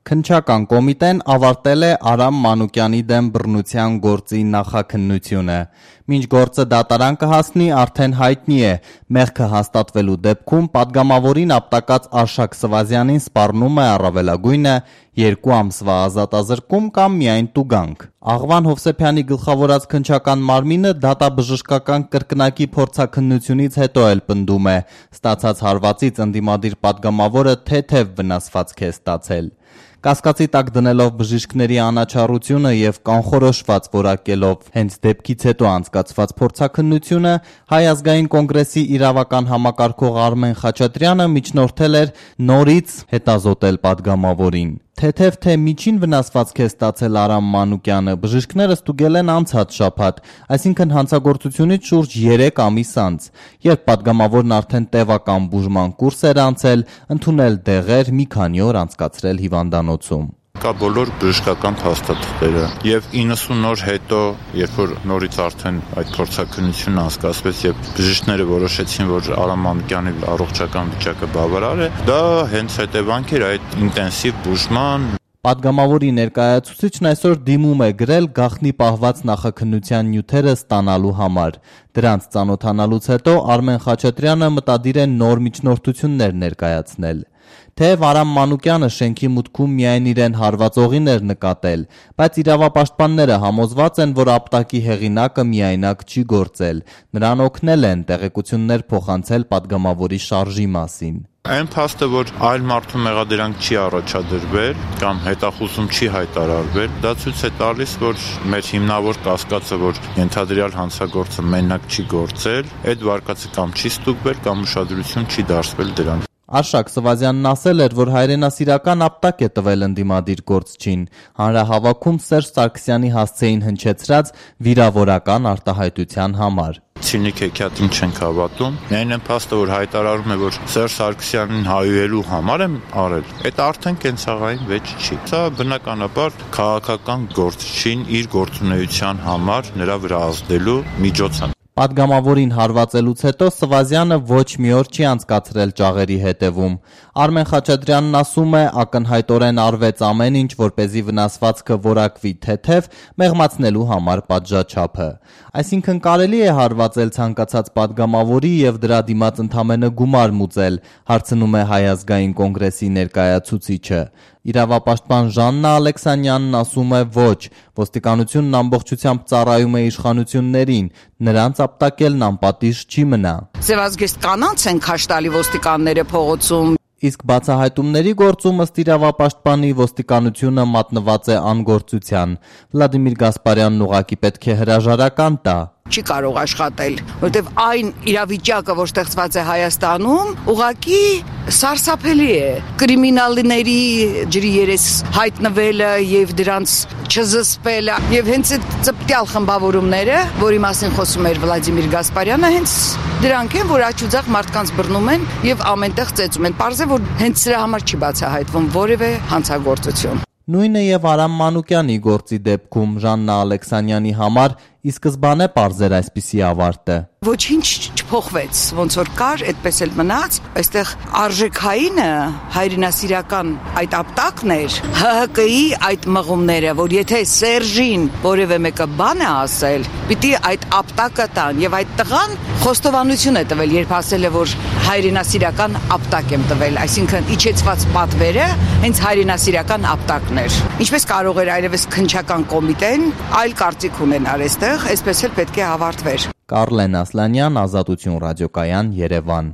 Քննչական կոմիտեն ավարտել է Արամ Մանուկյանի դեմ բռնության գործի նախաքննությունը։ Մինչ գործը դատարան կհասնի, արդեն հայտնի է, մեղքը հաստատվելու դեպքում պատգամավորին ապտակած Արշակ Սվազյանին սպառնում է առավելագույնը 2 ամսվա ազատազրկում կամ միայն տուգանք։ Աղվան Հովսեփյանի գլխավորած քննչական մարմինը դատաբժշկական կրկնակի փորձաքննությունից հետո էլ պնդում է, ստացած հարվածից ընդդիմադիր պատգամավորը թեթև վնասվածք է ստացել։ Կասկածի տակ դնելով բժիշկների անաչառությունը եւ կանխորոշված որակելով հենց դեպքից հետո անցկացված փորձաքննությունը, Հայ ազգային կոնգրեսի իրավական համակարգող Արմեն Խաչատրյանը միջնորդել էր նորից հետազոտել պատգամավորին։ Թեթև թե միջին վնասվածք է ստացել Արամ Մանուկյանը, բժիշկները ստուգել են անցած շաբաթ, այսինքն հանցագործությունից շուրջ 3 ամիս անց, երբ պատգամավորն արդեն տևական բուժման կուրս էր անցել, ընդունել դեղեր, մի քանի օր անցկացրել հիվանդանոցում։ Կա բոլոր բժշկական փաստաթղթերը եւ 90 օր հետո, երբ որ նորից արդեն այդ փորձաքննությունը անցկացվեց եւ բժիշկները որոշեցին, որ Արամ Մանուկյանի առողջական վիճակը բավարար է, դա հենց հետևանք էր այդ ինտենսիվ բուժման։ Պատգամավորի ներկայացուցիչն այսօր դիմում է գրել գաղտնի պահված նախաքննության նյութերը ստանալու համար։ Դրանց ծանոթանալուց հետո Արմեն Խաչատրյանը մտադիր է նոր միջնորդություններ ներկայացնել։ Թեև Արամ Մանուկյանը շենքի մուտքում միայն իրեն հարվածողին էր նկատել, բայց իրավապաշտպանները համոզված են, որ ապտակի հեղինակը միայնակ չի գործել։ Նրան օգնել են տեղեկություններ փոխանցել պատգամավորի շարժի մասին։ Այն փաստը, որ այլ մարդու մեղադրանք չի առաջադրվել կամ հետախուզում չի հայտարարվել, դա ցույց է տալիս, որ մեր հիմնավոր կասկածը, որ ենթադրյալ հանցագործը մենակ չի գործել, այդ վարկածը կամ չի ստուգվել, կամ ուշադրություն չի դարձվել դրան։ Արշակ Սվազյանն ասել էր, որ հայրենասիրական ապտակ է տվել ընդդիմադիր գործչին, հանրահավաքում Սերժ Սարգսյանի հասցեին հնչեցրած վիրավորական արտահայտության համար։ Ցինիկ հեքիաթին չենք հավատում, միայն այն փաստը, որ հայտարարում է, որ Սերժ Սարգսյանին հայուելու համար եմ արել, այդ արդեն կենցաղային վեճ չի։ Սա բնականաբար քաղաքական գործչին իր գործունեության համար նրա վրա ազդելու միջոց է։ Պատգամավորին հարվածելուց հետո Սվազյանը ոչ մի օր չի անցկացրել ճաղերի հետևում։ Արմեն Խաչատրյանն ասում է, ակնհայտորեն արվեց ամեն ինչ, որպեսզի վնասվածքը որակվի թեթև, մեղմացնելու համար պատժաչափը։ Այսինքն կարելի է հարվածել ցանկացած պատգամավորի եւ դրա դիմաց ընդամենը գումար մուծել, հարցնում է Հայ ազգային կոնգրեսի ներկայացուցիչը։ Իրավապաշտպան Ժաննա Ալեքսանյանն ասում է ոչ, ոստիկանությունն ամբողջությամբ ծառայում է իշխանություններին, նրանց ապտակելն անպատիժ չի մնա։ Ձևազգեստ կանանց են քաշ տալի ոստիկանները փողոցում։ Իսկ բացահայտումների գործում ըստ իրավապաշտպանի ոստիկանությունը մատնված է անգործության։ Վլադիմիր Գասպարյանն ուղղակի պետք է հրաժարական տա։ Չի կարող աշխատել, որտեվ այն իրավիճակը, որ ստեղծված է Հայաստանում, ուղղակի սարսափելի է։ Կրիմինալների ջրի երես հայտնվելը եւ դրանց չզսպելը եւ հենց այդ ծպտյալ խմբավորումները, որի մասին խոսում էր Վլադիմիր Գասպարյանը, հենց դրանք են, որ աչուձախ մարդկանց բռնում են եւ ամենտեղ ծեծում են։ Պարզ է, որ հենց սրա համար չի բացահայտվում որևէ հանցագործություն։ Նույնը եւ Արամ Մանուկյանի գործի դեպքում Ժաննա Ալեքսանյանի համար ի սկզբանե պարզ էր այսպիսի ավարտը։ Ոչինչ չփոխվեց, ոնց որ կար, այդպես էլ մնաց։ Այստեղ արժեքայինը հայրենասիրական այդ ապտակն էր, ՀՀԿ-ի այդ մղումները, որ եթե Սերժին որևէ մեկը բան է ասել, պիտի այդ ապտակը տան, եւ այդ տղան խոստովանություն է տվել, երբ ասել է, որ հայրենասիրական ապտակ եմ տվել, այսինքն իջեցված պատվերը հենց հայրենասիրական ապտակն էր։ Ինչպես կարող էր այլևս քննչական կոմիտեն այլ կարծիք ունենալ այստեղ, այսպես էլ պետք է ավարտվեր։ Կարլեն Ասլանյան, Ազատություն ռադիոկայան, Երևան։